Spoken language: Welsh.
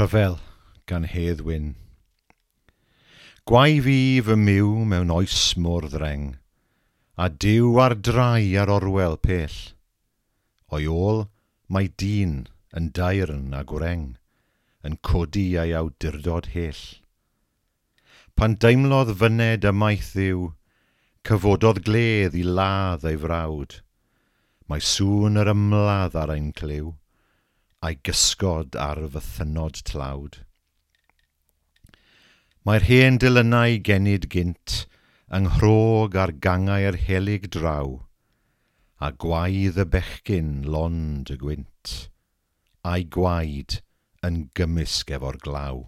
Rhyfel gan Hedd Wyn. Gwae fi fy myw mewn oes mor ddreng, a Duw ar drai ar orwel pell. O'i ôl mae dyn yn daearn a gwreng, yn codi ei awdurdod hyll. Pan deimlodd fyned ymaith Dduw, cyfododd gledd i ladd ei frawd. Mae sŵn yr ymladd ar ein clyw, a'i gysgod ar fythynnod tlawd. Mae'r hen delynau genid gynt yng nghrog ar gangau'r helyg draw, a gwaedd y bechgyn lond y gwynt, a'i gwaed yn gymysg efo'r glaw.